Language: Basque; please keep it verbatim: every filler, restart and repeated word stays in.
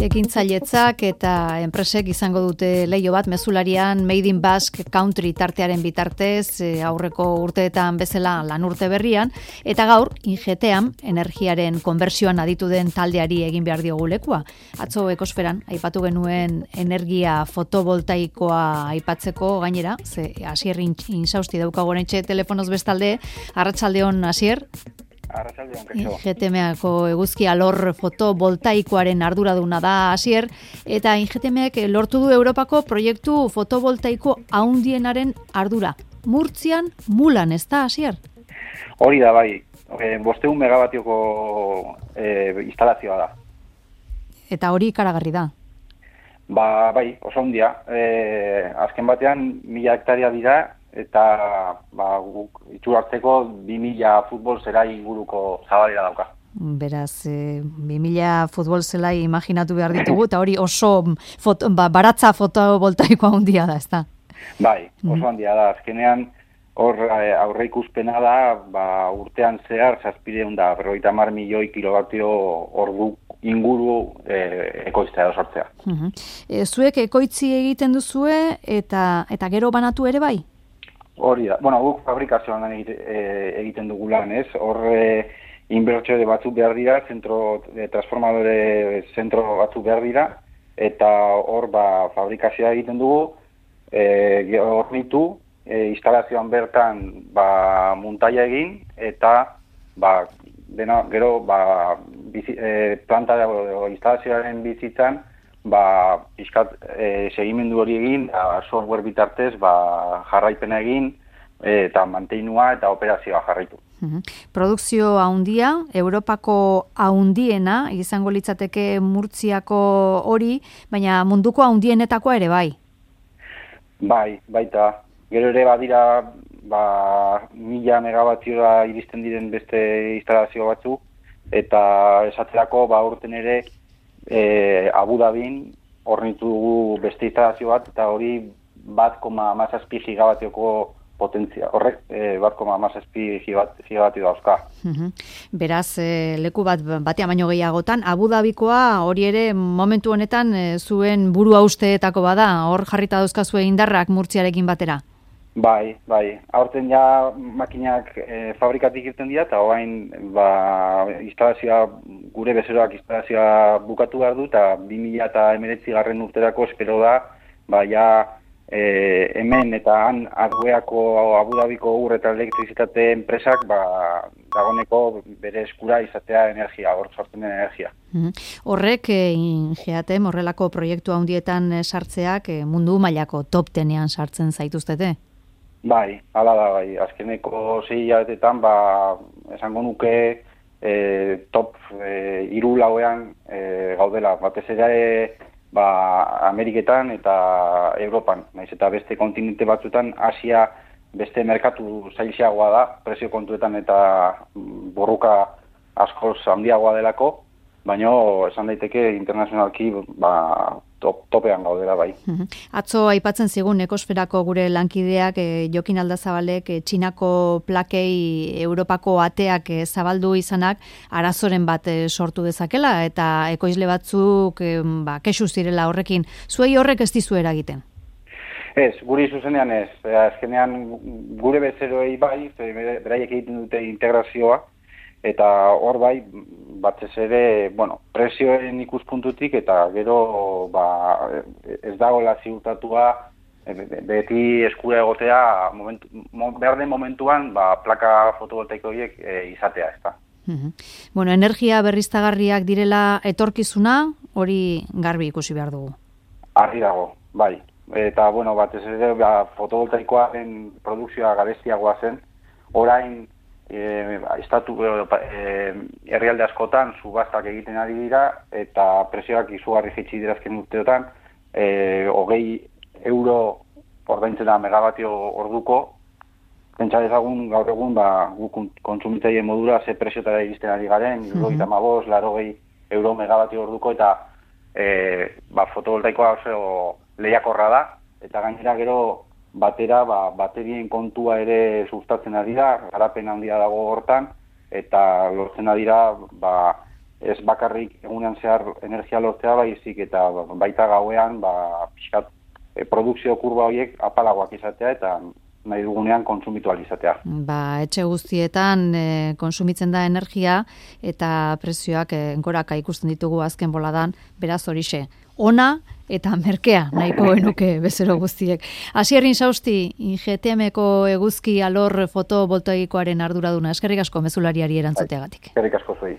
Ekintzailetzak eta enpresek izango dute leio bat mezularian Made in Basque Country tartearen bitartez aurreko urteetan bezala lan urte berrian, eta gaur Ingeteam energiaren konbertsioan aditu den taldeari egin behar diogu lekua. Atzo Ekosferan aipatu genuen energia fotovoltaikoa aipatzeko gainera, ze Asier insausti daukagu oraintxe telefonoz bestalde. Arratsaldeon Asier. Arratsaldeon, kaixo. Ingeteameko eguzki alor fotovoltaikoaren arduraduna da Asier, eta Ingeteamek lortu du Europako proiektu fotovoltaiko haundienaren ardura. Murtzian, Mulan, ez da, Asier? Hori da, bai. Bosteun megabatioko e, instalazioa da. Eta hori ikaragarri da? Ba, bai, oso handia. E, azken batean, mila hektaria dira, eta ba, guk itxurartzeko bi mila futbol zelai inguruko zabalera dauka. Beraz, e, bi mila futbol zelai imaginatu behar ditugu, eta hori oso foto, ba, baratza fotovoltaikoa handia da, ez da? Bai, oso handia da. Azkenean, hor aurre ikuspena da, ba, urtean zehar, zazpireun da, berrogeita hamar milioi kilovatio ordu inguru e, ekoiztea sortzea. Uh-huh. E, zuek ekoitzi egiten duzue, eta, eta gero banatu ere bai? Hori da. Bueno, guk fabrikazioan egite, e, egiten dugu lan, ez? Hor e, inbertsio batzuk behar dira, zentro, e, transformadore zentro batzuk behar dira, eta hor ba, fabrikazioa egiten dugu, e, hornitu, e, instalazioan bertan ba, muntaia egin, eta ba, dena, gero ba, bizi, e, planta o instalazioaren bizitzan, ba, pixkat e, segimendu hori egin, a, software bitartez ba, jarraipena egin, e, eta manteinua eta operazioa jarraitu. Uhum. Produkzio haundia, Europako haundiena, izango litzateke Murtziako hori, baina munduko haundienetakoa ere bai? Bai, baita. Gero ere badira ba, mila megabatiora iristen diren beste instalazio batzuk, eta esatzerako ba, urten ere E, Abu Dhabin hornitu dugu beste instalazio bat, eta hori bat koma hamazazpi gigabatioko potentzia. Horrek e, bat koma hamazazpi gigabatio dauzka. Uh-huh. Beraz, e, leku bat batean baino gehiagotan, Abu Dhabikoa hori ere momentu honetan e, zuen buru hausteetako bada, hor jarrita dauzkazue indarrak Murtziarekin batera? Bai, bai. Aurten ja makinak e, fabrikatik irten dira, eta orain ba, instalazioa, gure bezeroak instalazioa bukatu behar du, eta bi mila hemeretzi garren urterako espero da, ba, ja, e, hemen eta han Argueako Abu Dhabiko ur eta elektrizitate enpresak ba, dagoneko bere eskura izatea energia, hor sortzen den energia. Mm. Horrek, e, Ingeteam, horrelako proiektu handietan sartzeak e, mundu mailako top tenean sartzen zaituztete? Bai, hala da, bai. Azkeneko sei hilabetetan, ba, esango nuke e, top e, hiru lauean e, gaudela. Batez ere ba, Ameriketan eta Europan. Naiz eta beste kontinente batzuetan, Asia beste merkatu zailxeagoa da, prezio kontuetan eta borruka askoz handiagoa delako, baina esan daiteke internazionalki ba, top, topean gaudela bai. Atzo aipatzen zigun Ekosferako gure lankideak e, Jokin Aldazabalek e, Txinako plakei Europako ateak e, zabaldu izanak arazoren bat e, sortu dezakela, eta ekoizle batzuk e, ba, kexu zirela horrekin. Zuei horrek ez dizu eragiten? Ez, guri zuzenean ez. Azkenean gure bezeroei bai, beraiek egiten dute integrazioa, eta hor bai, batez ere, bueno, prezioen ikuspuntutik, eta gero ba, ez dagoela ziurtatua beti eskura egotea momentu, behar den momentuan ba, plaka fotovoltaiko horiek e, izatea, ez da. Uh-huh. Bueno, energia berriztagarriak direla etorkizuna, hori garbi ikusi behar dugu. Argi dago, bai. Eta, bueno, batez ere ba, fotovoltaikoaren produkzioa garestiagoa zen, orain E, estatu e, herrialde askotan subastak egiten ari dira, eta prezioak izugarri jaitsi dira azken urteotan, e, hogei euro ordaintzen da megabatio orduko. Pentsa dezagun gaur egun ba, guk kontsumitzaile modura ze preziotara iristen ari garen, hirurogeita hamabost, laurogei euro megabatio orduko, eta e, ba, fotovoltaikoa oso lehiakorra da, eta gainera gero batera ba, baterien kontua ere sustatzen ari da, garapen handia dago hortan, eta lortzen ari da ba, ez bakarrik egunean zehar energia lortzea baizik eta baita gauean ba, pixkat, e, produkzio kurba horiek apalagoak izatea eta nahi dugunean kontsumitu alizatea. Ba, etxe guztietan e, konsumitzen da energia eta prezioak e, goraka ikusten ditugu azken boladan, beraz horixe. Ona eta merkea nahiko genuke bezero guztiek. Hasierin Sausti, I G T M-ko eguzki alor fotovoltaikoaren arduraduna. Eskerrik asko mezulariari erantzuteagatik. Eskerrik asko zuei.